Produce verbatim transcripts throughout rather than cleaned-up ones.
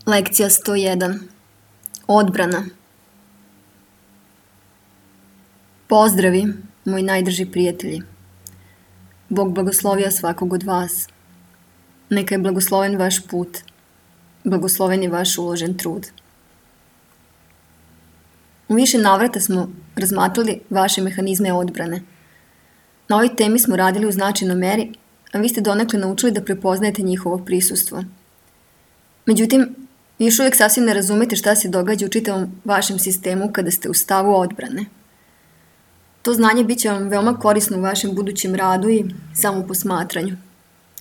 Lekcija sto jedan. Odbrana. Pozdravi, moji najdrži prijatelji. Bog blagoslovija svakog od vas. Neka je blagosloven vaš put. Blagosloven je vaš uložen trud. U više navrata smo razmatrali vaše mehanizme odbrane. Na ovoj temi smo radili u značajnoj meri, a vi ste donekle naučili da prepoznajete njihovo prisustvo. Međutim, vi još uvijek sasvim ne razumete šta se događa u čitavom vašem sistemu kada ste u stavu odbrane. To znanje bit će vam veoma korisno u vašem budućem radu i samoposmatranju.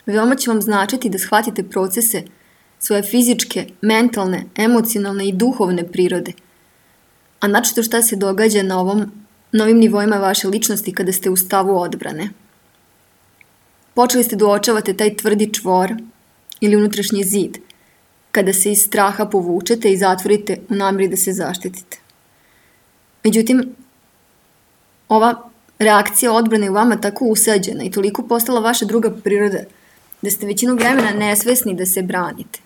Veoma će vam značiti da shvatite procese svoje fizičke, mentalne, emocionalne i duhovne prirode, a načito šta se događa na ovom novim nivoima vaše ličnosti kada ste u stavu odbrane. Počeli ste da uočavate taj tvrdi čvor ili unutrašnji zid, kada se iz straha povučete i zatvorite u namjeri da se zaštitite. Međutim, ova reakcija odbrane u vama tako usađena i toliko postala vaša druga priroda da ste većinu vremena nesvesni da se branite.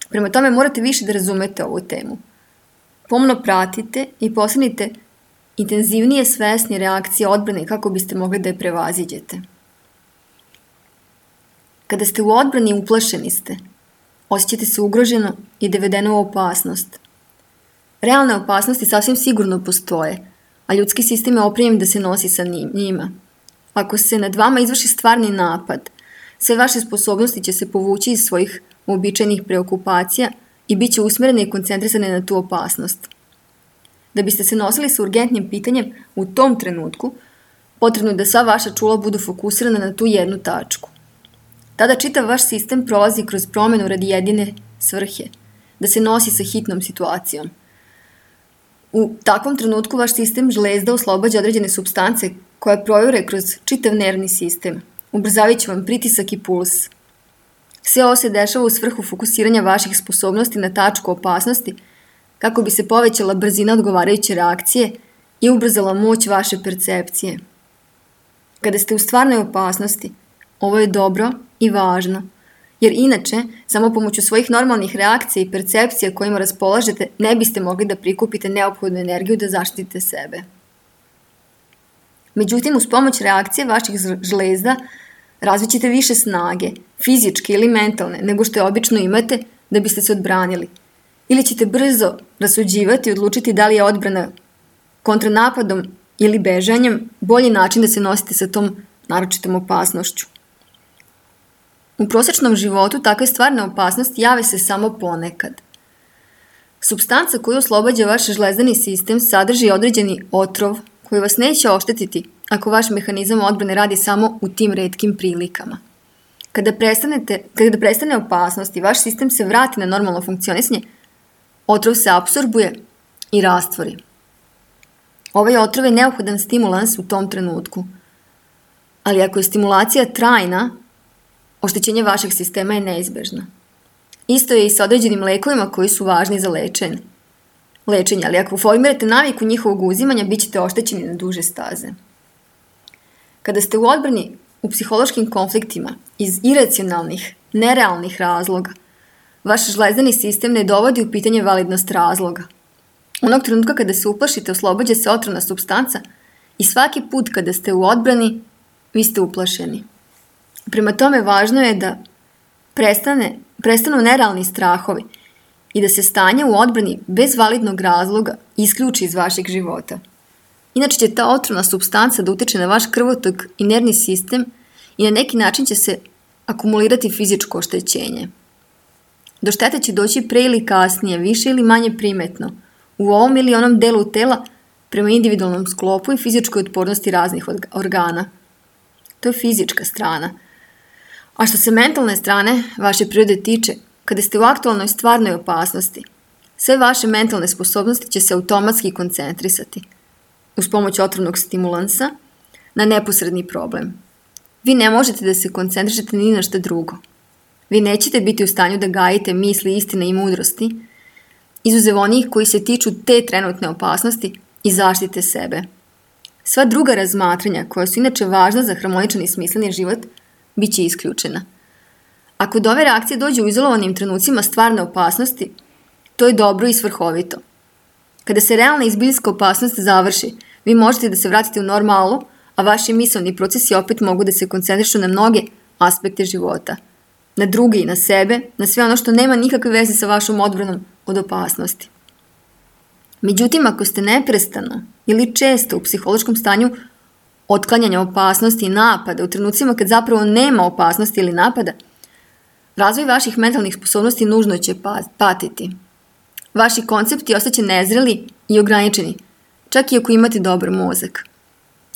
Prema tome morate više da razumete ovu temu. Pomno pratite i postanite intenzivnije svesni reakcije odbrane kako biste mogli da je prevaziđete. Kada ste u odbrani, uplašeni ste. Osjećate se ugroženo i dovedeno u opasnost. Realne opasnosti sasvim sigurno postoje, a ljudski sistem je opremljen da se nosi sa njima. Ako se nad vama izvrši stvarni napad, sve vaše sposobnosti će se povući iz svojih uobičajenih preokupacija i bit će usmjerene i koncentrisane na tu opasnost. Da biste se nosili sa urgentnim pitanjem u tom trenutku, potrebno je da sva vaša čula budu fokusirana na tu jednu tačku. Tada čitav vaš sistem prolazi kroz promjenu radi jedine svrhe, da se nosi sa hitnom situacijom. U takvom trenutku vaš sistem žlezda oslobađa određene supstance koje projure kroz čitav nervni sistem, ubrzavajući vam pritisak i puls. Sve ovo se dešava u svrhu fokusiranja vaših sposobnosti na tačku opasnosti, kako bi se povećala brzina odgovarajuće reakcije i ubrzala moć vaše percepcije. Kada ste u stvarnoj opasnosti, ovo je dobro i važno, jer inače, samo pomoću svojih normalnih reakcija i percepcija kojima raspolažete, ne biste mogli da prikupite neophodnu energiju da zaštitite sebe. Međutim, uz pomoć reakcije vaših žlezda razvit ćete više snage, fizičke ili mentalne, nego što je obično imate da biste se odbranili. Ili ćete brzo rasuđivati i odlučiti da li je odbrana kontranapadom ili bežanjem bolji način da se nosite sa tom naročitom opasnošću. U prosječnom životu takve stvarne opasnosti jave se samo ponekad. Supstanca koju oslobađa vaš žlezdani sistem sadrži određeni otrov koji vas neće oštetiti ako vaš mehanizam odbrane radi samo u tim retkim prilikama. Kada, prestanete, kada prestane opasnost i vaš sistem se vrati na normalno funkcionisanje, otrov se apsorbuje i rastvori. Ovaj otrov je neophodan stimulans u tom trenutku. Ali ako je stimulacija trajna, oštećenje vašeg sistema je neizbežno. Isto je i sa određenim lekovima koji su važni za lečenje. Lečenje, ali ako formirate naviku njihovog uzimanja, bit ćete oštećeni na duže staze. Kada ste u odbrani u psihološkim konfliktima iz iracionalnih, nerealnih razloga, vaš žlezdani sistem ne dovodi u pitanje validnost razloga. Onog trenutka kada se uplašite, oslobađa se otrovna supstanca i svaki put kada ste u odbrani, vi ste uplašeni. Prema tome, važno je da prestane, prestanu nerealni strahovi i da se stanje u odbrani bez validnog razloga isključi iz vašeg života. Inače će ta otrovna supstanca da utiče na vaš krvotok i nervni sistem i na neki način će se akumulirati fizičko oštećenje. Do štete će doći pre ili kasnije, više ili manje primetno, u ovom ili onom delu tela prema individualnom sklopu i fizičkoj otpornosti raznih organa. To je fizička strana. A što se mentalne strane vaše prirode tiče, kada ste u aktualnoj stvarnoj opasnosti, sve vaše mentalne sposobnosti će se automatski koncentrisati, uz pomoć otrovnog stimulansa, na neposredni problem. Vi ne možete da se koncentrišete ni na šta drugo. Vi nećete biti u stanju da gajite misli, istine i mudrosti, izuzev onih koji se tiču te trenutne opasnosti i zaštite sebe. Sva druga razmatranja, koja su inače važna za harmoničan i smisleni život, bit će isključena. Ako do ove reakcije dođe u izolovanim trenucima stvarne opasnosti, to je dobro i svrhovito. Kada se realna izbiljska opasnost završi, vi možete da se vratite u normalu, a vaši misaoni procesi opet mogu da se koncentrišu na mnoge aspekte života. Na druge i na sebe, na sve ono što nema nikakve veze sa vašom odbranom od opasnosti. Međutim, ako ste neprestano ili često u psihološkom stanju otklanjanja opasnosti i napada u trenucima kad zapravo nema opasnosti ili napada, razvoj vaših mentalnih sposobnosti nužno će patiti. Vaši koncepti ostaće nezreli i ograničeni, čak i ako imate dobar mozak.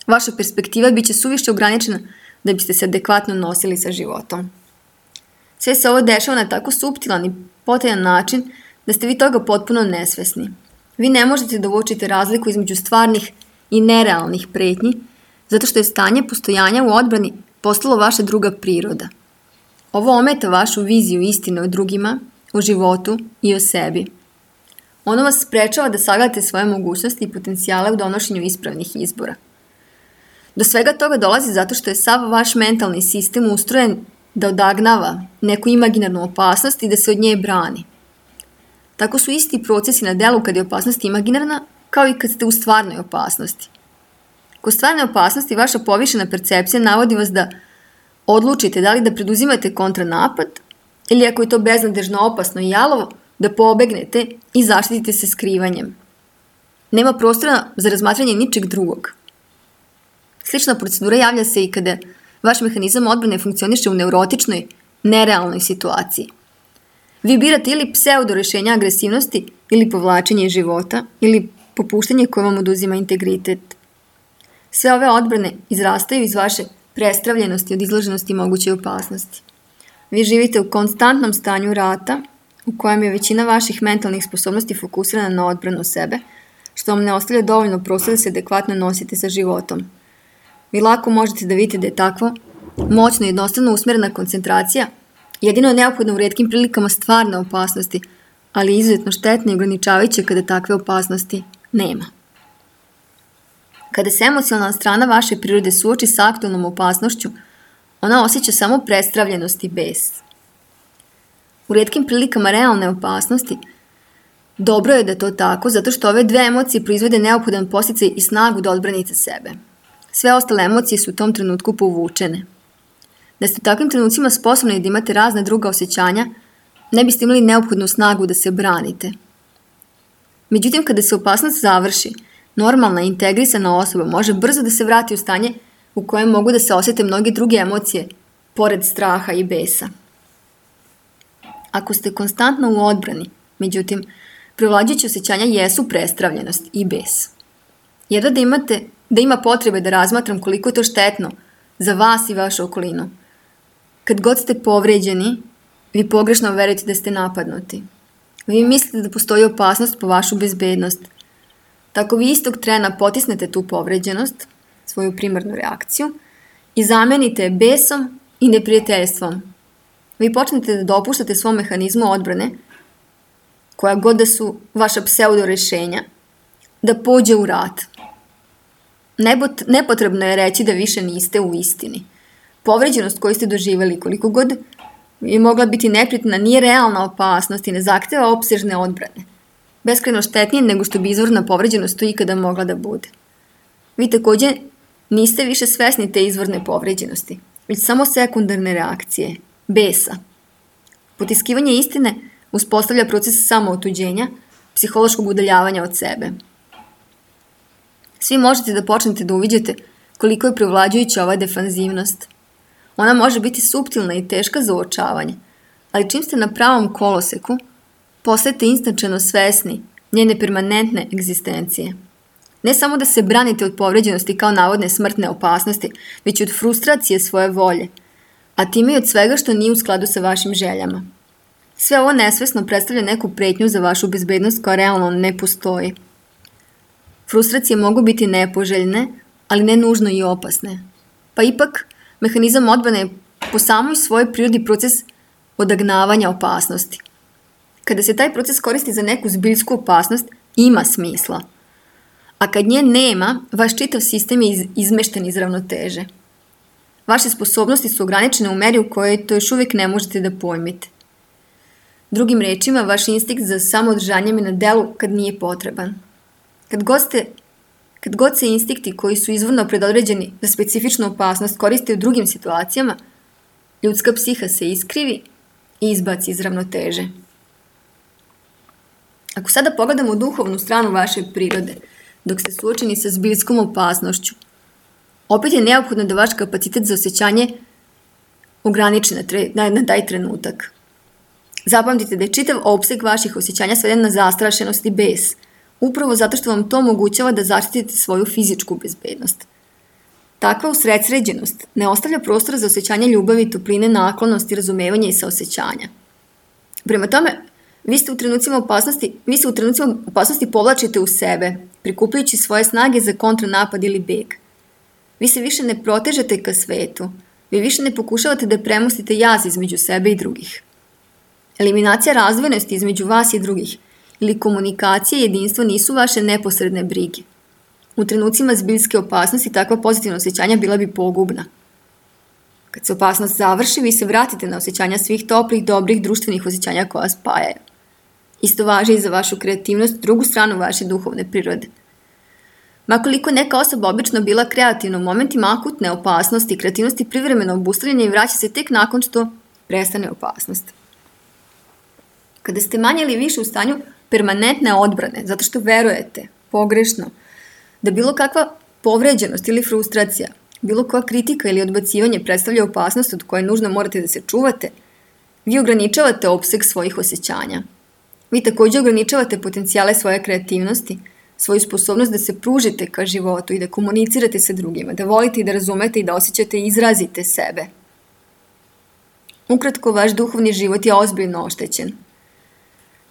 Vaša perspektiva biće suviše ograničena da biste se adekvatno nosili sa životom. Sve se ovo dešava na tako suptilan i potajan način da ste vi toga potpuno nesvesni. Vi ne možete da uočite razliku između stvarnih i nerealnih pretnji, zato što je stanje postojanja u odbrani postalo vaša druga priroda. Ovo ometa vašu viziju istine o drugima, o životu i o sebi. Ono vas sprečava da sagledate svoje mogućnosti i potencijale u donošenju ispravnih izbora. Do svega toga dolazi zato što je sav vaš mentalni sistem ustrojen da odagnava neku imaginarnu opasnost i da se od nje brani. Tako su isti procesi na delu kad je opasnost imaginarna, kao i kad ste u stvarnoj opasnosti. Kod stvarne opasnosti vaša povišena percepcija navodi vas da odlučite da li da preduzimate kontranapad ili ako je to beznadežno opasno i jalovo, da pobegnete i zaštitite se skrivanjem. Nema prostora za razmatranje ničeg drugog. Slična procedura javlja se i kada vaš mehanizam odbrane funkcioniše u neurotičnoj, nerealnoj situaciji. Vi birate ili pseudo rešenja agresivnosti ili povlačenje iz života ili popuštanje koje vam oduzima integritet. Sve ove odbrane izrastaju iz vaše prestravljenosti od izloženosti mogućoj opasnosti. Vi živite u konstantnom stanju rata u kojem je većina vaših mentalnih sposobnosti fokusirana na odbranu sebe, što vam ne ostavlja dovoljno prostora da se adekvatno nosite sa životom. Vi lako možete da vidite da je takvo moćno i jednostavno usmerena koncentracija jedino je neophodno u retkim prilikama stvarne opasnosti, ali izuzetno štetno i ograničavajuće kada takve opasnosti nema. Kada se emocionalna strana vaše prirode suoči sa aktualnom opasnošću, ona osjeća samo prestravljenost i bes. U retkim prilikama realne opasnosti dobro je da to tako, zato što ove dve emocije proizvode neophodan podsticaj i snagu da odbranite sebe. Sve ostale emocije su u tom trenutku povučene. Da ste u takvim trenucima sposobni da imate razne druga osjećanja, ne biste imali neophodnu snagu da se branite. Međutim, kada se opasnost završi, normalna i integrisana osoba može brzo da se vrati u stanje u kojem mogu da se osjete mnoge druge emocije, pored straha i besa. Ako ste konstantno u odbrani, međutim, prevlađujuće osjećanja jesu prestravljenost i bes. Jedva da imate, da ima potrebe da razmatram koliko je to štetno za vas i vašu okolinu. Kad god ste povređeni, vi pogrešno verujete da ste napadnuti. Vi mislite da postoji opasnost po vašu bezbednost. Tako vi istog trena potisnete tu povređenost, svoju primarnu reakciju, i zamenite besom i neprijateljstvom. Vi počnete da dopuštate svom mehanizmu odbrane, koja god da su vaša pseudo rešenja, da pođe u rat. Nepotrebno je reći da više niste u istini. Povređenost koju ste doživjeli koliko god je mogla biti neprijatna, nije realna opasnost i ne zahteva opsežne odbrane. Beskrajno štetnije nego što bi izvorna povređenost to ikada mogla da bude. Vi takođe niste više svesni te izvorne povređenosti, već samo sekundarne reakcije, besa. Potiskivanje istine uspostavlja proces samootuđenja, psihološkog udaljavanja od sebe. Svi možete da počnete da uviđate koliko je prevlađujuća ova defanzivnost. Ona može biti suptilna i teška za uočavanje, ali čim ste na pravom koloseku, postajete instančano svesni njene permanentne egzistencije. Ne samo da se branite od povređenosti kao navodne smrtne opasnosti, već od frustracije svoje volje, a time i od svega što nije u skladu sa vašim željama. Sve ovo nesvesno predstavlja neku pretnju za vašu bezbednost koja realno ne postoji. Frustracije mogu biti nepoželjne, ali ne nužno i opasne. Pa ipak, mehanizam odbrane je po samoj svojoj prirodi proces odagnavanja opasnosti. Kada se taj proces koristi za neku zbiljsku opasnost, ima smisla. A kad nje nema, vaš čitav sistem je izmešten iz ravnoteže. Vaše sposobnosti su ograničene u meri u kojoj to još uvijek ne možete da pojmite. Drugim rečima, vaš instinkt za samoodržanjem je na delu kad nije potreban. Kad god, ste, kad god se instinkti koji su izvorno predodređeni za specifičnu opasnost koriste u drugim situacijama, ljudska psiha se iskrivi i izbaci iz ravnoteže. Ako sada pogledamo duhovnu stranu vaše prirode, dok ste suočeni sa zbiljskom opasnošću, opet je neophodno da vaš kapacitet za osjećanje ograniči na, na taj trenutak. Zapamtite da je čitav opseg vaših osjećanja sveden na zastrašenost i bes, upravo zato što vam to omogućava da zaštitite svoju fizičku bezbednost. Takva usredsređenost ne ostavlja prostora za osjećanje ljubavi, topline, naklonosti, razumevanja i saosećanja. Prema tome, vi ste u trenucima opasnosti, vi se u trenucima opasnosti povlačite u sebe, prikupljajući svoje snage za kontranapad ili beg. Vi se više ne protežete ka svetu, vi više ne pokušavate da premostite jaz između sebe i drugih. Eliminacija razdvojenosti između vas i drugih ili komunikacija i jedinstvo nisu vaše neposredne brige. U trenucima zbiljske opasnosti takva pozitivna osjećanja bila bi pogubna. Kad se opasnost završi, vi se vratite na osjećanja svih toplih, dobrih, društvenih osjećanja koja spajaju. Isto važi i za vašu kreativnost, drugu stranu vaše duhovne prirode. Makoliko neka osoba obično bila kreativna u momentima akutne opasnosti i kreativnosti privremeno obustavljanja i vraća se tek nakon što prestane opasnost. Kada ste manje ili više u stanju permanentne odbrane, zato što verujete, pogrešno, da bilo kakva povređenost ili frustracija, bilo koja kritika ili odbacivanje predstavlja opasnost od koje nužno morate da se čuvate, vi ograničavate opseg svojih osjećanja. Vi također ograničavate potencijale svoje kreativnosti, svoju sposobnost da se pružite ka životu i da komunicirate sa drugima, da volite i da razumete i da osjećate i izrazite sebe. Ukratko, vaš duhovni život je ozbiljno oštećen.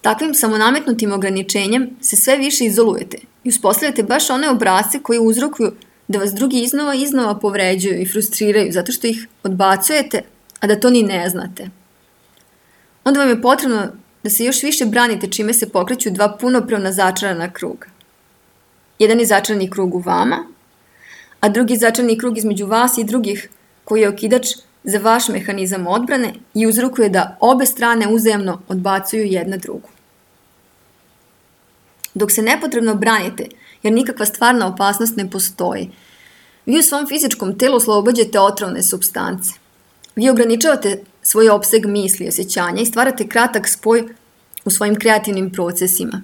Takvim samonametnutim ograničenjem se sve više izolujete i uspostavljate baš one obrasce koji uzrokuju da vas drugi iznova i iznova povređuju i frustriraju zato što ih odbacujete, a da to ni ne znate. Onda vam je potrebno da se još više branite čime se pokreću dva punopravna začarana kruga. Jedan je začarani krug u vama, a drugi je začarani krug između vas i drugih koji je okidač za vaš mehanizam odbrane i uzrokuje da obe strane uzajamno odbacuju jedna drugu. Dok se nepotrebno branite, jer nikakva stvarna opasnost ne postoji, vi u svom fizičkom telu oslobađate otrovne supstance. Vi ograničavate svoj opseg misli i osjećanja i stvarate kratak spoj u svojim kreativnim procesima.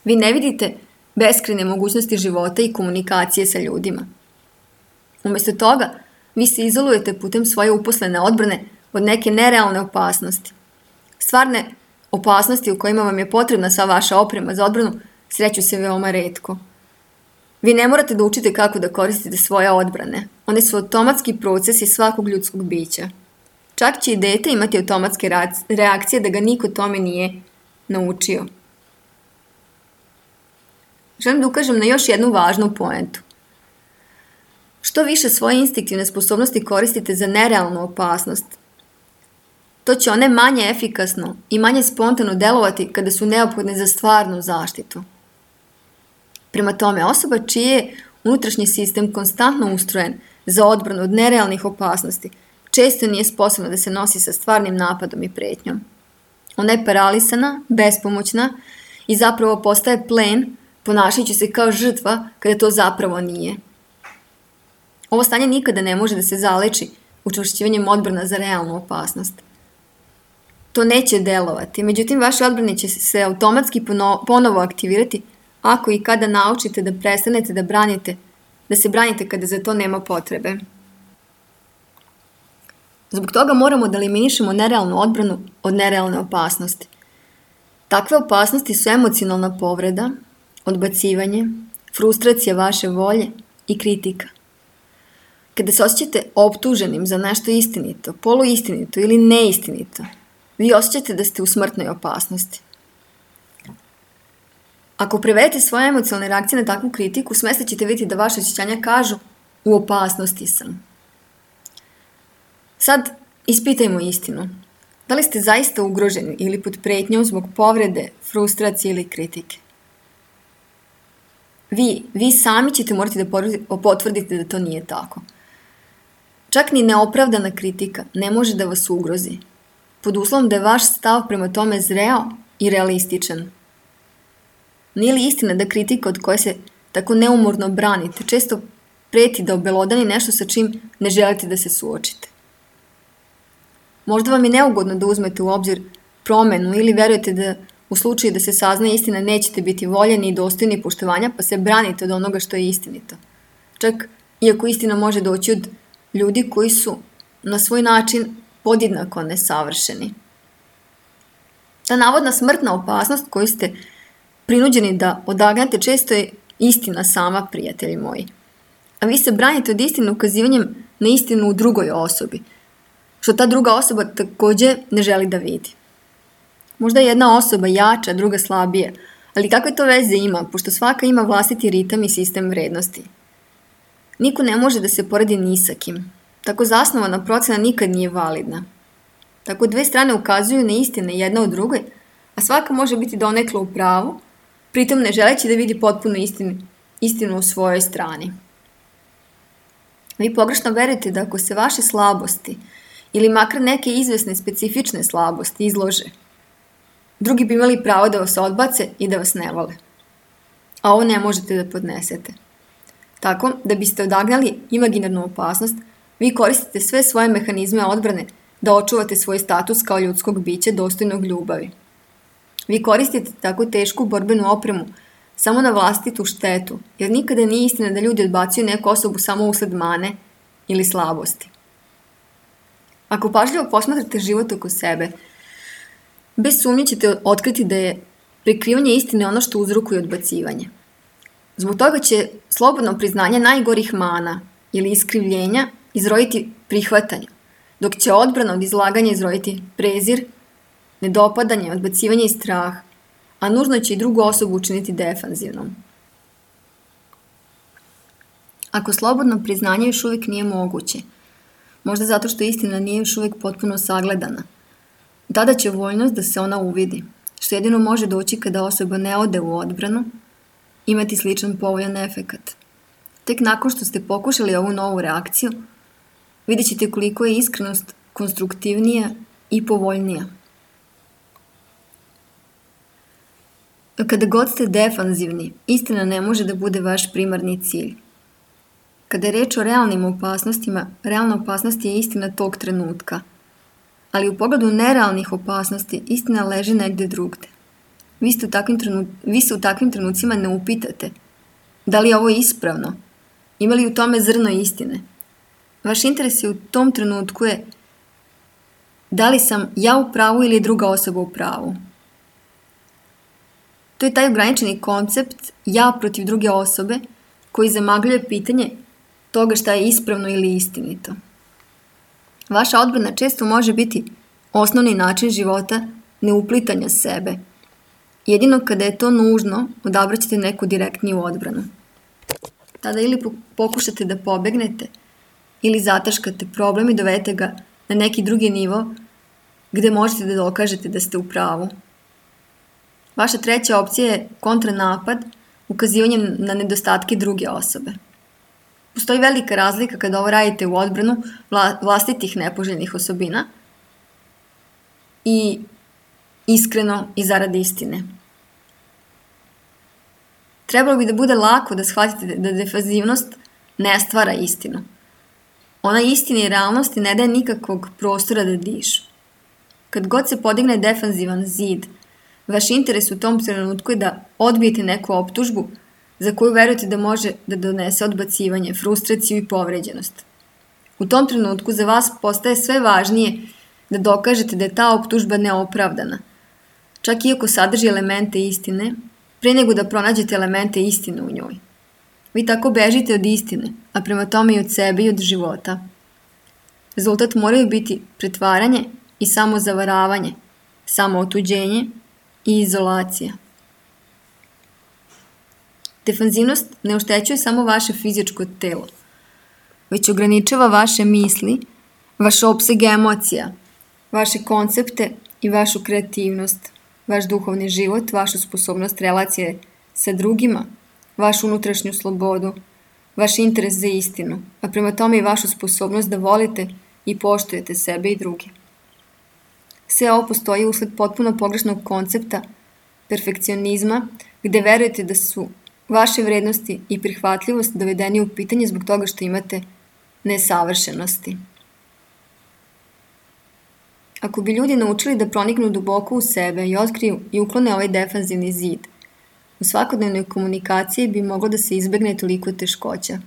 Vi ne vidite beskrajne mogućnosti života i komunikacije sa ljudima. Umjesto toga, vi se izolujete putem svoje uposlene odbrane od neke nerealne opasnosti. Stvarne opasnosti u kojima vam je potrebna sva vaša oprema za odbranu sreću se veoma retko. Vi ne morate da učite kako da koristite svoje odbrane. One su automatski procesi svakog ljudskog bića. Čak će i dete imati automatske reakcije da ga niko tome nije naučio. Želim da ukažem na još jednu važnu poentu. Što više svoje instinktivne sposobnosti koristite za nerealnu opasnost, to će one manje efikasno i manje spontano delovati kada su neophodne za stvarnu zaštitu. Prema tome, osoba čiji je unutrašnji sistem konstantno ustrojen za odbranu od nerealnih opasnosti, često nije sposobna da se nosi sa stvarnim napadom i pretnjom. Ona je paralisana, bespomoćna i zapravo postaje plen, ponašajući se kao žrtva kada to zapravo nije. Ovo stanje nikada ne može da se zaleči učvršćivanjem odbrana za realnu opasnost. To neće delovati, međutim vaše odbrane će se automatski ponovo aktivirati ako i kada naučite da prestanete da branite, da se branite kada za to nema potrebe. Zbog toga moramo da eliminišemo nerealnu odbranu od nerealne opasnosti. Takve opasnosti su emocionalna povreda, odbacivanje, frustracija vaše volje i kritika. Kada se osjećate optuženim za nešto istinito, poluistinito ili neistinito, vi osjećate da ste u smrtnoj opasnosti. Ako prevedete svoje emocionalne reakcije na takvu kritiku, smesle ćete vidjeti da vaše osjećanja kažu u opasnosti sam. Sad ispitajmo istinu. Da li ste zaista ugroženi ili pod pretnjom zbog povrede, frustracije ili kritike? Vi, vi sami ćete morati da potvrdite da to nije tako. Čak ni neopravdana kritika ne može da vas ugrozi, pod uslovom da je vaš stav prema tome zreo i realističan. Nije li istina da kritika od koje se tako neumorno branite često preti da obelodani nešto sa čim ne želite da se suočite? Možda vam je neugodno da uzmete u obzir promenu ili verujete da u slučaju da se sazna istina nećete biti voljeni i dostojni poštovanja, pa se branite od onoga što je istinito. Čak iako istina može doći od ljudi koji su na svoj način podjednako nesavršeni. Ta navodna smrtna opasnost koju ste prinuđeni da odagnate često je istina sama, prijatelji moji. A vi se branite od istine ukazivanjem na istinu u drugoj osobi, što ta druga osoba takođe ne želi da vidi. Možda je jedna osoba jača, druga slabije, ali kakve to veze ima, pošto svaka ima vlastiti ritam i sistem vrednosti. Niko ne može da se poredi ni sa kim. Tako zasnovana procena nikad nije validna. Tako dve strane ukazuju na istine jedna od drugoj, a svaka može biti donekle u pravu, pritom ne želeći da vidi potpuno istinu, istinu u svojoj strani. Vi pogrešno verujete da ako se vaše slabosti ili makar neke izvesne specifične slabosti izlože, drugi bi imali pravo da vas odbace i da vas ne vole. A ovo ne možete da podnesete. Tako, da biste odagnali imaginarnu opasnost, vi koristite sve svoje mehanizme odbrane da očuvate svoj status kao ljudskog bića dostojnog ljubavi. Vi koristite tako tešku borbenu opremu samo na vlastitu štetu, jer nikada nije istina da ljudi odbacuju neku osobu samo usled mane ili slabosti. Ako pažljivo posmatrate život oko sebe, bez sumnje ćete otkriti da je prikrivanje istine ono što uzrokuje odbacivanje. Zbog toga će slobodno priznanje najgorih mana ili iskrivljenja izroditi prihvatanje, dok će odbrana od izlaganja izroditi prezir, nedopadanje, odbacivanje i strah, a nužno će i drugu osobu učiniti defanzivnom. Ako slobodno priznanje još uvijek nije moguće, možda zato što istina nije još uvijek potpuno sagledana, tada će voljnost da se ona uvidi, što jedino može doći kada osoba ne ode u odbranu, imati sličan povoljan efekat. Tek nakon što ste pokušali ovu novu reakciju, vidjet ćete koliko je iskrenost konstruktivnija i povoljnija. Kada god ste defanzivni, istina ne može da bude vaš primarni cilj. Kada je reč o realnim opasnostima, realna opasnost je istina tog trenutka, ali u pogledu nerealnih opasnosti istina leži negde drugde. Vi, ste u takvim trenu... Vi se u takvim trenucima ne upitate da li je ovo ispravno, ima li u tome zrno istine. Vaš interes je u tom trenutku je da li sam ja u pravu ili druga osoba u pravu. To je taj ograničeni koncept ja protiv druge osobe koji zamagljuje pitanje toga šta je ispravno ili istinito. Vaša odbrana često može biti osnovni način života neuplitanja sebe. Jedino kada je to nužno, odabraćete neku direktniju odbranu. Tada ili pokušate da pobegnete, ili zataškate problem i dovedete ga na neki drugi nivo gde možete da dokažete da ste u pravu. Vaša treća opcija je kontranapad, ukazivanjem na nedostatke druge osobe. Postoji velika razlika kada ovo radite u odbranu vlastitih nepoželjnih osobina i iskreno i zarad istine. Trebalo bi da bude lako da shvatite da defanzivnost ne stvara istinu. Ona istini i realnosti ne daje nikakvog prostora da dišu. Kad god se podigne defanzivan zid, vaš interes u tom trenutku je da odbijete neku optužbu za koju verujete da može da donese odbacivanje, frustraciju i povređenost. U tom trenutku za vas postaje sve važnije da dokažete da je ta optužba neopravdana, čak iako sadrži elemente istine, pre nego da pronađete elemente istine u njoj. Vi tako bežite od istine, a prema tome i od sebe i od života. Rezultat moraju biti pretvaranje i samozavaravanje, samootuđenje i izolacija. Defanzivnost ne oštećuje samo vaše fizičko telo, već ograničava vaše misli, vaš opseg emocija, vaše koncepte i vašu kreativnost, vaš duhovni život, vašu sposobnost relacije sa drugima, vašu unutrašnju slobodu, vaš interes za istinu, a prema tome i vašu sposobnost da volite i poštujete sebe i druge. Sve ovo postoji usled potpuno pogrešnog koncepta perfekcionizma, gde verujete da su vaše vrednosti i prihvatljivost dovedeni u pitanje zbog toga što imate nesavršenosti. Ako bi ljudi naučili da proniknu duboko u sebe i otkriju i uklone ovaj defanzivni zid, u svakodnevnoj komunikaciji bi moglo da se izbegne toliko teškoća.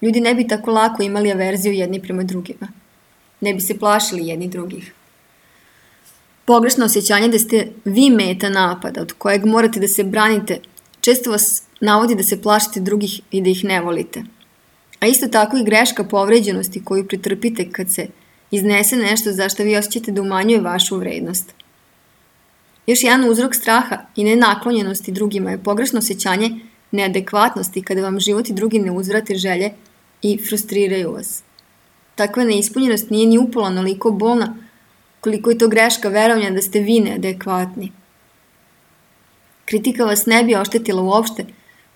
Ljudi ne bi tako lako imali averziju jedni prema drugima. Ne bi se plašili jedni drugih. Pogrešno osjećanje da ste vi meta napada od kojeg morate da se branite često vas navodi da se plašite drugih i da ih ne volite. A isto tako i greška povređenosti koju pretrpite kad se iznese nešto za što vi osjećate da umanjuje vašu vrednost. Još jedan uzrok straha i nenaklonjenosti drugima je pogrešno osjećanje neadekvatnosti kada vam život i drugi ne uzvrate želje i frustriraju vas. Takva neispunjenost nije ni upola onoliko bolna koliko je to greška verovanja da ste vi neadekvatni. Kritika vas ne bi oštetila uopšte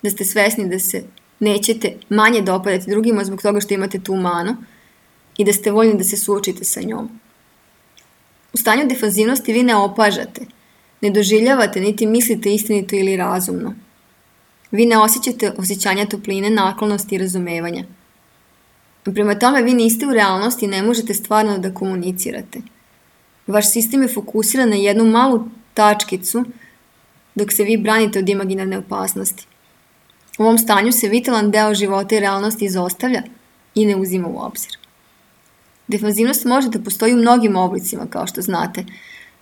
da ste svesni da se nećete manje dopadati drugima zbog toga što imate tu manu i da ste voljni da se suočite sa njom. U stanju defanzivnosti vi ne opažate, ne doživljavate niti mislite istinito ili razumno. Vi ne osjećate osjećanja topline, naklonosti i razumevanja. Prema tome vi niste u realnosti i ne možete stvarno da komunicirate. Vaš sistem je fokusiran na jednu malu tačkicu dok se vi branite od imaginarne opasnosti. U ovom stanju se vitalan deo života i realnosti izostavlja i ne uzima u obzir. Defanzivnost može da postoji u mnogim oblicima, kao što znate,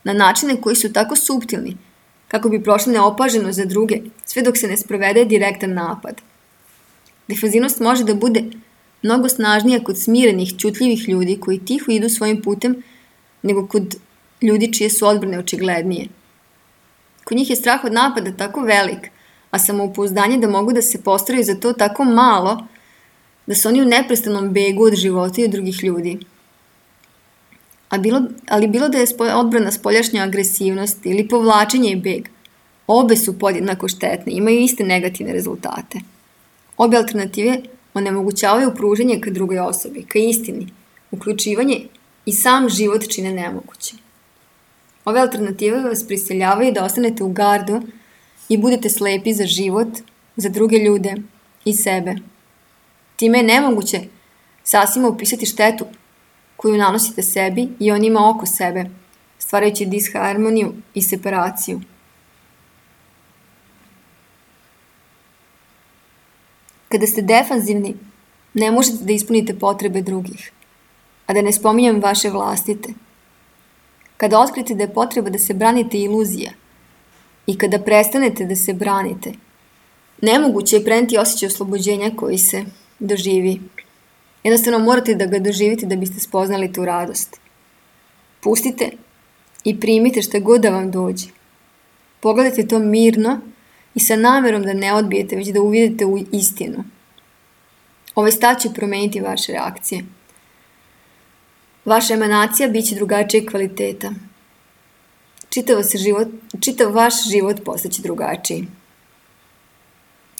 na načine koji su tako suptilni, kako bi prošli neopaženo za druge, sve dok se ne sprovede direktan napad. Defanzivnost može da bude mnogo snažnija kod smirenih, ćutljivih ljudi koji tiho idu svojim putem, nego kod ljudi čije su odbrane očiglednije. Kod njih je strah od napada tako velik, a samopouzdanje da mogu da se postaraju za to tako malo, da su oni u neprestanom begu od života i od drugih ljudi. A bilo, ali bilo da je odbrana spoljašnja agresivnost ili povlačenje i beg, obe su podjednako štetne, imaju iste negativne rezultate. Obe alternative onemogućavaju pruženje ka drugoj osobi, ka istini, uključivanje i sam život čine nemoguće. Ove alternative vas prisiljavaju da ostanete u gardu i budete slepi za život, za druge ljude i sebe. Time je nemoguće sasvim opisati štetu koju nanosite sebi i onima oko sebe, stvarajući disharmoniju i separaciju. Kada ste defanzivni, ne možete da ispunite potrebe drugih, a da ne spominjem vaše vlastite. Kada otkrite da je potreba da se branite iluzija i kada prestanete da se branite, nemoguće je preneti osjećaj oslobođenja koji se doživi. Jednostavno morate da ga doživite da biste spoznali tu radost. Pustite i primite šta god da vam dođe. Pogledajte to mirno i sa namerom da ne odbijete, već da uvidite u istinu. Ovaj stav će promeniti vaše reakcije. Vaša emanacija bit će drugačije kvaliteta. Čitav, se život, čitav vaš život postaće drugačiji.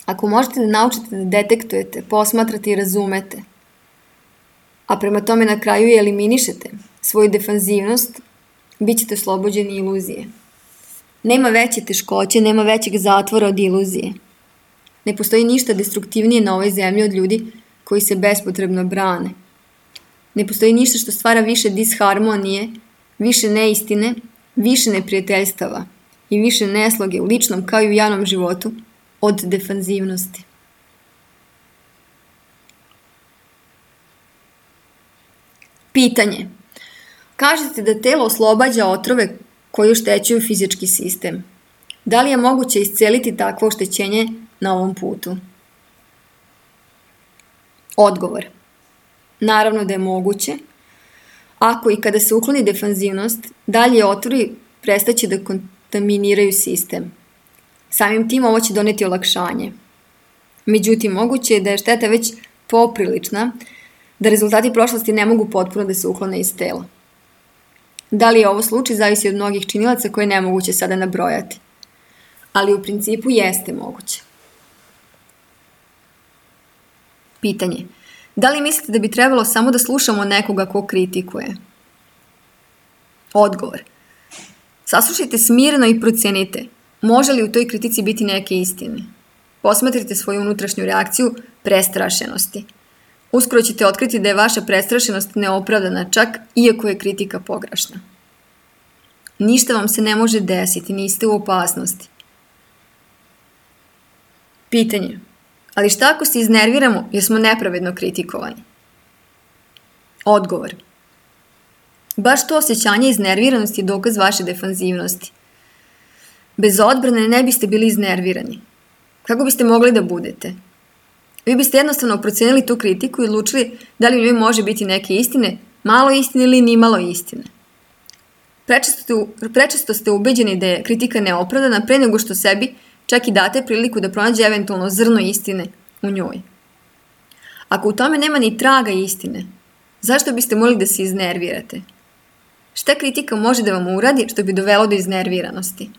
Ako možete da naučite da detektujete, posmatrate i razumete, a prema tome na kraju i eliminišete svoju defanzivnost, bit ćete oslobođeni iluzije. Nema veće teškoće, nema većeg zatvora od iluzije. Ne postoji ništa destruktivnije na ovoj zemlji od ljudi koji se bespotrebno brane. Ne postoji ništa što stvara više disharmonije, više neistine, više neprijateljstava i više nesloge u ličnom kao i u javnom životu od defanzivnosti. Pitanje. Kažete da telo oslobađa otrove koji oštećuju fizički sistem. Da li je moguće isceliti takvo oštećenje na ovom putu? Odgovor. Naravno da je moguće. Ako i kada se ukloni defanzivnost, dalje otrovi prestaće da kontaminiraju sistem. Samim tim ovo će doneti olakšanje. Međutim, moguće je da je šteta već poprilična, da rezultati prošlosti ne mogu potpuno da se uklone iz tela. Da li je ovo slučaj zavisi od mnogih činilaca koje je nemoguće sada nabrojati. Ali u principu jeste moguće. Pitanje. Da li mislite da bi trebalo samo da slušamo nekoga ko kritikuje? Odgovor. Saslušajte smirno i procenite. Može li u toj kritici biti neke istine? Posmatrite svoju unutrašnju reakciju prestrašenosti. Uskoro ćete otkriti da je vaša prestrašenost neopravdana, čak iako je kritika pogrešna. Ništa vam se ne može desiti, niste u opasnosti. Pitanje. Ali šta ako se iznerviramo jer smo nepravedno kritikovani? Odgovor. Baš to osjećanje iznerviranosti je dokaz vaše defanzivnosti. Bez odbrane ne biste bili iznervirani. Kako biste mogli da budete? Vi biste jednostavno procenili tu kritiku i odlučili da li u njoj može biti neke istine, malo istine ili ni malo istine. Prečesto, prečesto ste ubeđeni da je kritika neopravdana pre nego što sebi čak i date priliku da pronađe eventualno zrno istine u njoj. Ako u tome nema ni traga istine, zašto biste mogli da se iznervirate? Šta kritika može da vam uradi što bi dovelo do iznerviranosti?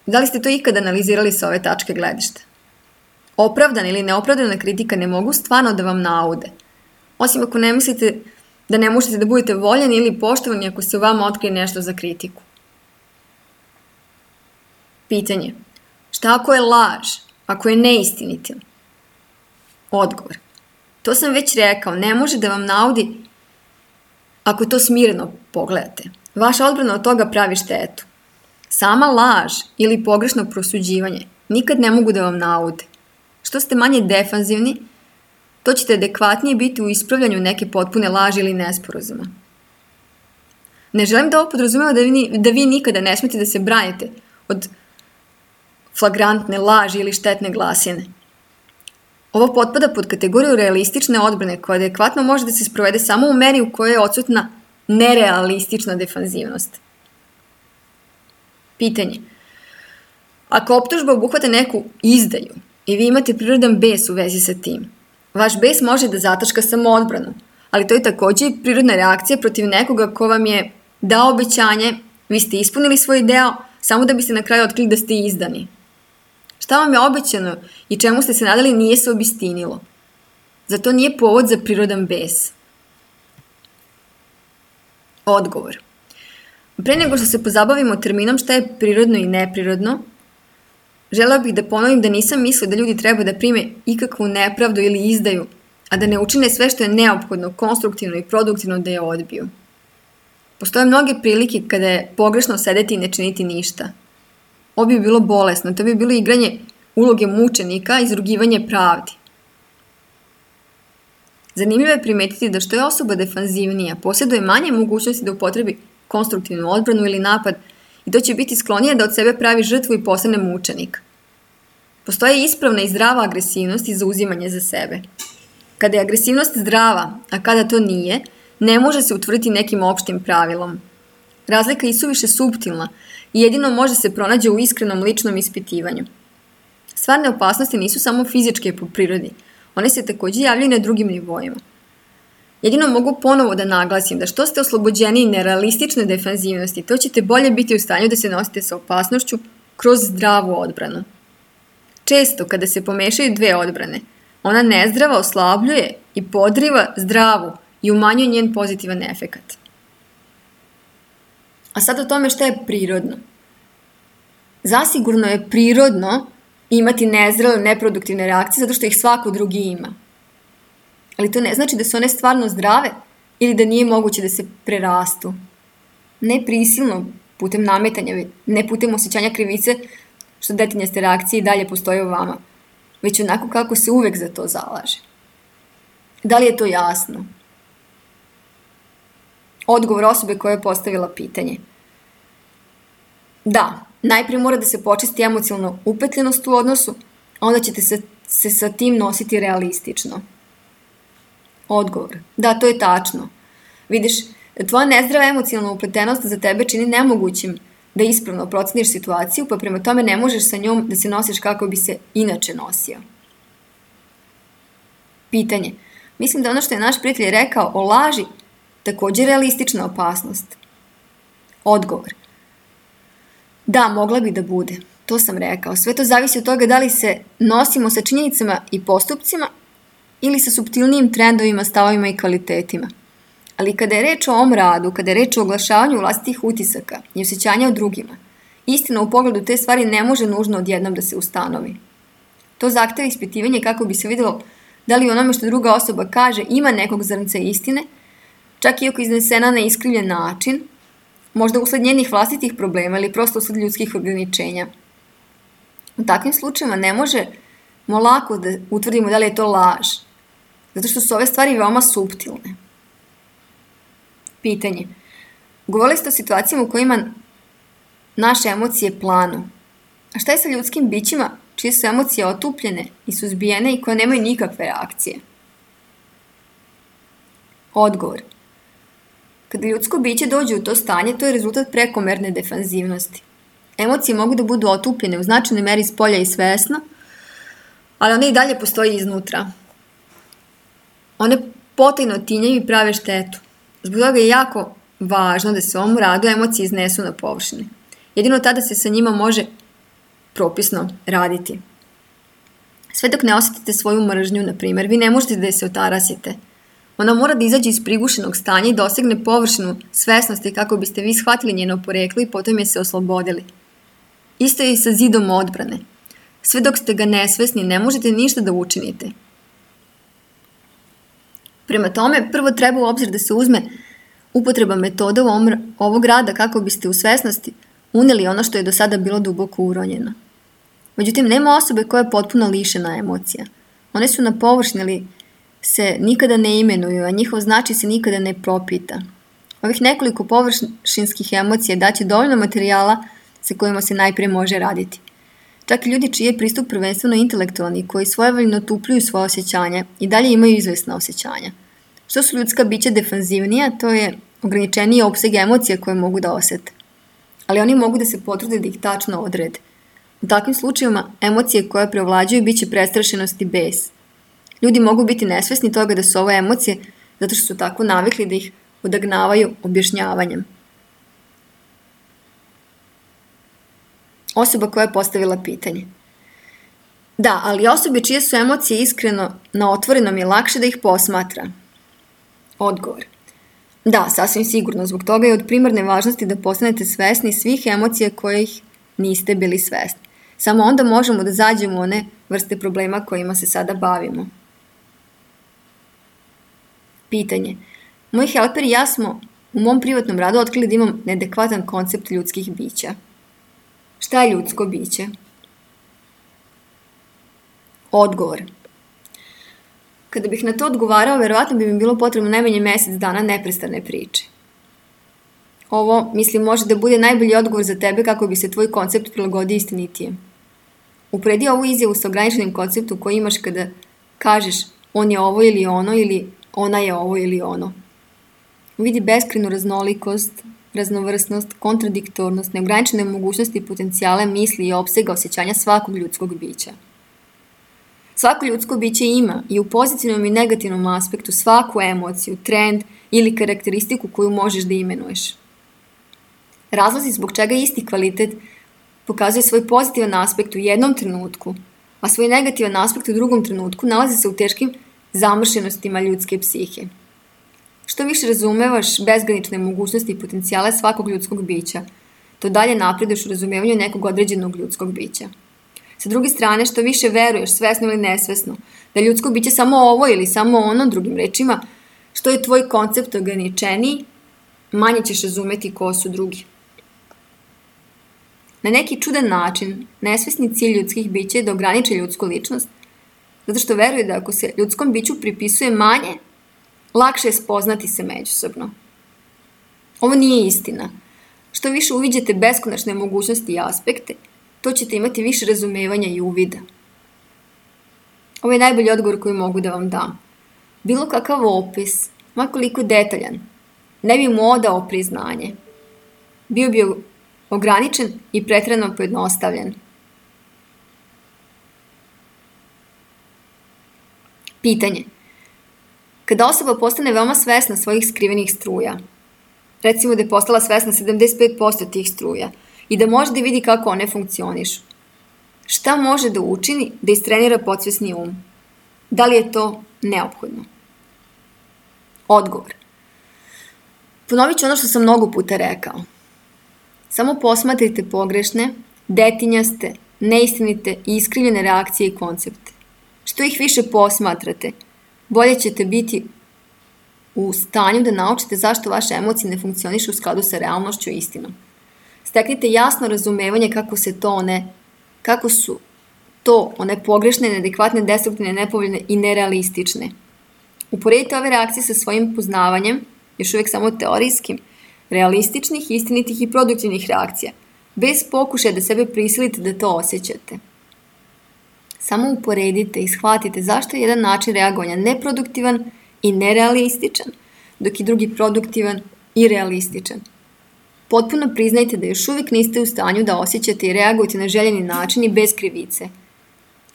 Da li ste to ikada analizirali sa ove tačke gledišta? Opravdana ili neopravdana kritika ne mogu stvarno da vam naude. Osim ako ne mislite da ne možete da budete voljeni ili poštovani ako se u vama otkrije nešto za kritiku. Pitanje. Šta ako je laž? Ako je neistinita? Odgovor. To sam već rekao, ne može da vam naudi ako to smireno pogledate. Vaša odbrana od toga pravi štetu. Sama laž ili pogrešno prosuđivanje nikad ne mogu da vam naude. Što ste manje defanzivni, to ćete adekvatnije biti u ispravljanju neke potpune laži ili nesporazuma. Ne želim da ovo podrazumeva da vi, da vi nikada ne smete da se branite od flagrantne laži ili štetne glasine. Ovo potpada pod kategoriju realistične odbrane koja adekvatno može da se sprovede samo u meri u kojoj je odsutna nerealistična defanzivnost. Pitanje. Ako optužba obuhvata neku izdaju i vi imate prirodan bes u vezi sa tim, vaš bes može da zataška samo odbranu, ali to je takođe i prirodna reakcija protiv nekoga ko vam je dao obećanje, vi ste ispunili svoj deo, samo da biste na kraju otkrili da ste izdani. Šta vam je obećano i čemu ste se nadali nije se obistinilo. Zato nije povod za prirodan bes. Odgovor. Pre nego što se pozabavimo terminom šta je prirodno i neprirodno, želeo bih da ponovim da nisam mislila da ljudi treba da prime ikakvu nepravdu ili izdaju, a da ne učine sve što je neophodno, konstruktivno i produktivno da je odbiju. Postoje mnoge prilike kada je pogrešno sedeti i ne činiti ništa. Ovo bi bilo bolesno, to bi bilo igranje uloge mučenika i izrugivanje pravdi. Zanimljivo je primetiti da što je osoba defanzivnija, posjeduje manje mogućnosti da upotrebi konstruktivnu odbranu ili napad i to će biti sklonije da od sebe pravi žrtvu i postane mučenik. Postoje ispravna i zdrava agresivnost i zauzimanje za sebe. Kada je agresivnost zdrava, a kada to nije, ne može se utvrditi nekim opštim pravilom. Razlika je isuviše suptilna i jedino može se pronađe u iskrenom ličnom ispitivanju. Stvarne opasnosti nisu samo fizičke po prirodi, one se takođe javljaju na drugim nivoima. Jedino mogu ponovo da naglasim da što ste oslobođeni nerealistične defanzivnosti, to ćete bolje biti u stanju da se nosite sa opasnošću kroz zdravu odbranu. Često, kada se pomešaju dve odbrane, ona nezdrava oslabljuje i podriva zdravu i umanjuje njen pozitivan efekat. A sad o tome šta je prirodno. Zasigurno je prirodno imati nezdrave, neproduktivne reakcije zato što ih svako drugi ima. Ali to ne znači da su one stvarno zdrave ili da nije moguće da se prerastu. Ne prisilno, putem nametanja, ne putem osjećanja krivice, što detinjaste reakcije i dalje postoje u vama, već onako kako se uvek za to zalaže. Da li je to jasno? Odgovor osobe koja je postavila pitanje. Da, najprije mora da se počisti emocionalno upetljenost u odnosu, a onda ćete se, se sa tim nositi realistično. Odgovor. Da, to je tačno. Vidiš, tvoja nezdrava emocionalna upletenost za tebe čini nemogućim da ispravno proceniš situaciju, pa prema tome ne možeš sa njom da se nosiš kako bi se inače nosio. Pitanje. Mislim da ono što je naš prijatelj rekao o laži takođe je realistična opasnost. Odgovor. Da, mogla bi da bude. To sam rekao. Sve to zavisi od toga da li se nosimo sa činjenicama i postupcima ili sa suptilnijim trendovima, stavovima i kvalitetima. Ali kada je reč o ovom radu, kada je reč o oglašavanju vlastitih utisaka i osjećanja o drugima, istina u pogledu te stvari ne može nužno odjednom da se ustanovi. To zahteva ispitivanje kako bi se videlo da li onome što druga osoba kaže ima nekog zrnca istine, čak i ako iznesena na iskrivljen način, možda usled njenih vlastitih problema ili prosto usled ljudskih ograničenja. U takvim slučajima ne možemo lako da utvrdimo da li je to laž, zato što su ove stvari veoma suptilne. Pitanje. Govorili ste o situacijama u kojima naše emocije planu. A šta je sa ljudskim bićima čije su emocije otupljene i suzbijene i koje nemaju nikakve reakcije? Odgovor. Kada ljudsko biće dođe u to stanje, to je rezultat prekomerne defanzivnosti. Emocije mogu da budu otupljene u značajnoj meri s polja i svesno, ali one i dalje postoji iznutra. One potajno tinjaju i prave štetu. Zbog toga je jako važno da se u ovom radu emocije iznesu na površini. Jedino tada se sa njima može propisno raditi. Sve dok ne osjetite svoju mržnju, na primjer, vi ne možete da je se otarasite. Ona mora da izađe iz prigušenog stanja i dosegne površinu svesnosti kako biste vi shvatili njeno poreklo i potom je se oslobodili. Isto je i sa zidom odbrane. Sve dok ste ga nesvesni, ne možete ništa da učinite. Prema tome, prvo treba u obzir da se uzme upotreba metoda u ovog rada kako biste u svesnosti uneli ono što je do sada bilo duboko uronjeno. Međutim, nema osobe koja je potpuno lišena emocija. One su na površini, ali se nikada ne imenuju, a njihov značaj se nikada ne propita. Ovih nekoliko površinskih emocija daće dovoljno materijala sa kojima se najprije može raditi. Čak i ljudi čiji je pristup prvenstveno intelektualni, koji svojevoljno tupljuju svoje osjećanja i dalje imaju izvesna osjećanja. Što su ljudska bića defanzivnija, to je ograničeniji opseg emocija koje mogu da osete. Ali oni mogu da se potrude da ih tačno odrede. U takvim slučajevima emocije koje preovlađuju bit će prestrašenost i bes. Ljudi mogu biti nesvesni toga da su ovo emocije zato što su tako navikli da ih odagnavaju objašnjavanjem. Osoba koja je postavila pitanje. Da, ali osobe čije su emocije iskreno na otvorenom je lakše da ih posmatra. Odgovor. Da, sasvim sigurno. Zbog toga je od primarne važnosti da postanete svesni svih emocija kojih niste bili svesni. Samo onda možemo da zađemo u one vrste problema kojima se sada bavimo. Pitanje. Moj helper i ja smo u mom privatnom radu otkrili da imam neadekvatan koncept ljudskih bića. Šta je ljudsko biće? Odgovor. Kada bih na to odgovarao, verovatno bi mi bilo potrebno najmanje mesec dana neprestane priče. Ovo, mislim, može da bude najbolji odgovor za tebe kako bi se tvoj koncept prilagodio istinitijem. Upredi ovu izjavu sa ograničenim konceptom koji imaš kada kažeš on je ovo ili ono ili ona je ovo ili ono. Vidi beskrajnu raznolikost, raznovrsnost, kontradiktornost, neograničene mogućnosti i potencijale misli i opsega osjećanja svakog ljudskog bića. Svako ljudsko biće ima i u pozitivnom i negativnom aspektu svaku emociju, trend ili karakteristiku koju možeš da imenuješ. Razlozi zbog čega isti kvalitet pokazuje svoj pozitivan aspekt u jednom trenutku, a svoj negativan aspekt u drugom trenutku nalazi se u teškim zamršenostima ljudske psihe. Što više razumevaš bezgranične mogućnosti i potencijale svakog ljudskog bića, to dalje napreduješ u razumevanju nekog određenog ljudskog bića. Sa druge strane, što više veruješ, svesno ili nesvesno, da je ljudsko biće samo ovo ili samo ono, drugim rečima, što je tvoj koncept ograničeniji, manje ćeš razumeti ko su drugi. Na neki čudan način, nesvesni cilj ljudskih bića je da ograniče ljudsku ličnost, zato što veruje da ako se ljudskom biću pripisuje manje, lakše je spoznati se međusobno. Ovo nije istina. Što više uviđate beskonačne mogućnosti i aspekte, to ćete imati više razumevanja i uvida. Ovo je najbolji odgovor koji mogu da vam dam. Bilo kakav opis, makoliko detaljan, ne bi mu odao priznanje. Bio bi ograničen i preterano pojednostavljen. Pitanje. Kada osoba postane veoma svesna svojih skrivenih struja, recimo da je postala svesna sedamdeset pet posto tih struja i da može da vidi kako one funkcionišu, šta može da učini da istrenira podsvesni um? Da li je to neophodno? Odgovor. Ponovit ću ono što sam mnogo puta rekao. Samo posmatrajte pogrešne, detinjaste, neistinite i iskrivljene reakcije i koncepte. Što ih više posmatrate, bolje ćete biti u stanju da naučite zašto vaše emocije ne funkcionišu u skladu sa realnošću i istinom. Steknite jasno razumevanje kako se to one, kako su to one pogrešne, neadekvatne, destruktivne, nepovoljne i nerealistične. Uporedite ove reakcije sa svojim poznavanjem, još uvijek samo teorijskim, realističnih, istinitih i produktivnih reakcija, bez pokušaja da sebe prisilite da to osjećate. Samo uporedite i shvatite zašto je jedan način reagovanja neproduktivan i nerealističan, dok je drugi produktivan i realističan. Potpuno priznajte da još uvijek niste u stanju da osjećate i reagujete na željeni način i bez krivice,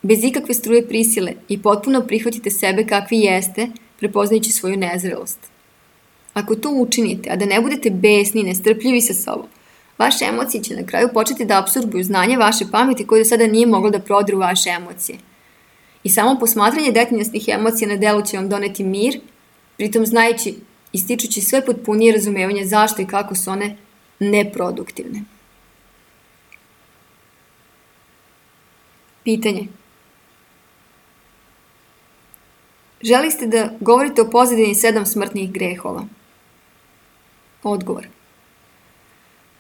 bez ikakve struje prisile i potpuno prihvatite sebe kakvi jeste, prepoznajući svoju nezrelost. Ako to učinite, a da ne budete besni i nestrpljivi sa sobom, vaše emocije će na kraju početi da apsorbuju znanje vaše pameti koje do sada nije moglo da prodru vaše emocije. I samo posmatranje detinjastih emocija na delu će vam doneti mir, pritom znajući i stičući sve potpunije razumevanje zašto i kako su one neproduktivne. Pitanje. Želi ste da govorite o pozadini sedam smrtnih grehova? Odgovor.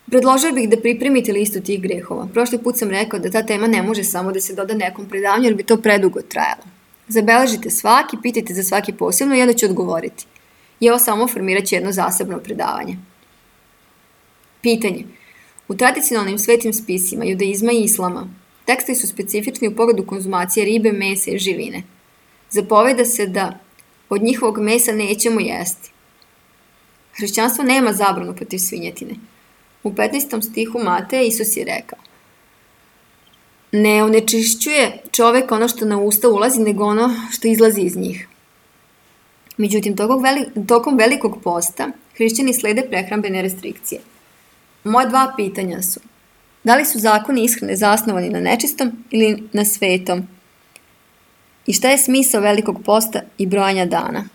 Predložio bih da pripremite listu tih grehova. Prošli put sam rekao da ta tema ne može samo da se doda nekom predavanju jer bi to predugo trajalo. Zabeležite svaki, pitajte za svaki posebno i ja da ću odgovoriti. I ovo samo formirat će jedno zasebno predavanje. Pitanje. U tradicionalnim svetim spisima judaizma i islama tekstovi su specifični u pogledu konzumacije ribe, mesa i živine. Zapoveda se da od njihovog mesa nećemo jesti. Hrišćanstvo nema zabranu protiv svinjetine. U petnaestom stihu Mateja Isus je rekao: ne onečišćuje čovek ono što na usta ulazi, nego ono što izlazi iz njih. Međutim, tokom velikog posta hrišćani slede prehrambene restrikcije. Moje dva pitanja su: da li su zakoni ishrane zasnovani na nečistom ili na svetom? I šta je smisao velikog posta i brojanja dana?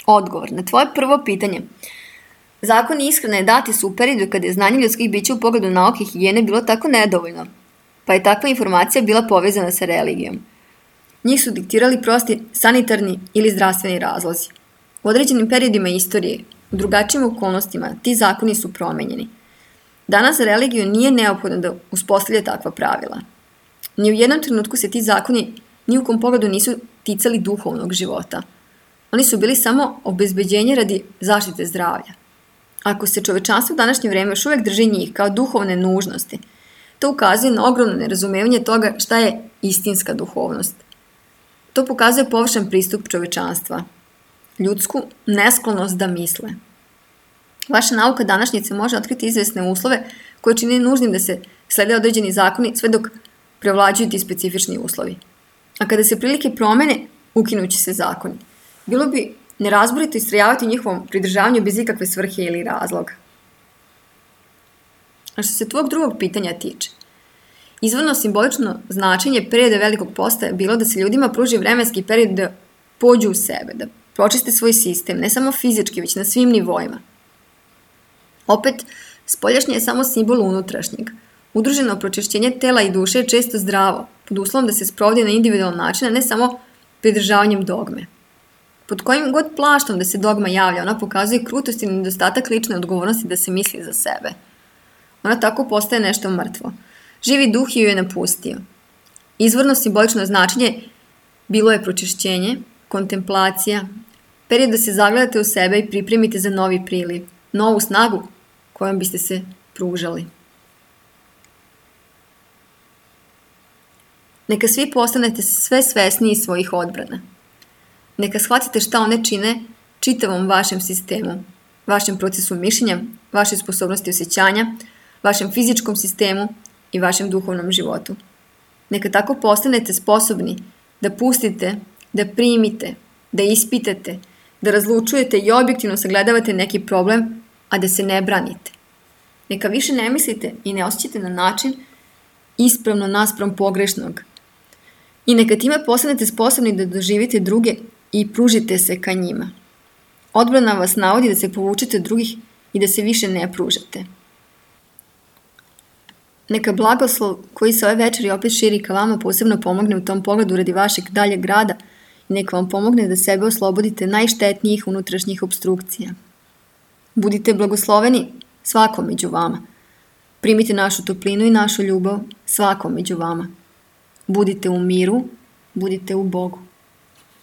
Odgovor na tvoje prvo pitanje. Zakoni ishrane dati su u periodu kada je znanje ljudskih bića u pogledu nauke i higijene bilo tako nedovoljno, pa je takva informacija bila povezana sa religijom. Njih su diktirali prosti sanitarni ili zdravstveni razlozi. U određenim periodima istorije, u drugačijim okolnostima, ti zakoni su promenjeni. Danas za religiju nije neophodno da uspostavlja takva pravila. Ni u jednom trenutku se ti zakoni ni u kom pogledu nisu ticali duhovnog života. Oni su bili samo obezbeđenje radi zaštite zdravlja. Ako se čovečanstvo u današnje vreme još uvijek drži njih kao duhovne nužnosti, to ukazuje na ogromno nerazumevanje toga šta je istinska duhovnost. To pokazuje površan pristup čovečanstva, ljudsku nesklonost da misle. Vaša nauka današnjice može otkriti izvesne uslove koje čini nužnim da se slede određeni zakoni sve dok prevlađuju ti specifični uslovi. A kada se prilike promene, ukinući se zakoni. Bilo bi nerazborito istrajavati u njihovom pridržavanju bez ikakve svrhe ili razloga. A što se tvog drugog pitanja tiče, izvorno simbolično značenje perioda velikog posta je bilo da se ljudima pruži vremenski period da pođu u sebe, da pročiste svoj sistem, ne samo fizički, već na svim nivoima. Opet, spoljašnje je samo simbol unutrašnjeg. Udruženo pročišćenje tela i duše je često zdravo, pod uslovom da se sprovodi na individualan način, a ne samo pridržavanjem dogme. Pod kojim god plaštom da se dogma javlja, ona pokazuje krutost i nedostatak lične odgovornosti da se misli za sebe. Ona tako postaje nešto mrtvo. Živi duh ju je napustio. Izvorno simbolično značenje bilo je pročišćenje, kontemplacija, period da se zagledate u sebe i pripremite za novi priliv, novu snagu kojom biste se pružali. Neka svi postanete sve svesniji svojih odbrana. Neka shvatite šta one čine čitavom vašem sistemu, vašem procesu mišljenja, vašoj sposobnosti osjećanja, vašem fizičkom sistemu i vašem duhovnom životu. Neka tako postanete sposobni da pustite, da primite, da ispitate, da razlučujete i objektivno sagledavate neki problem, a da se ne branite. Neka više ne mislite i ne osjećate na način ispravno naspram pogrešnog. I neka time postanete sposobni da doživite druge i pružite se ka njima. Odbrana vas navodi da se povučete od drugih i da se više ne pružate. Neka blagoslov koji se ove večeri opet širi ka vama posebno pomogne u tom pogledu radi vašeg daljeg rada i neka vam pomogne da sebe oslobodite najštetnijih unutrašnjih obstrukcija. Budite blagosloveni svakom među vama. Primite našu toplinu i našu ljubav svakom među vama. Budite u miru, budite u Bogu.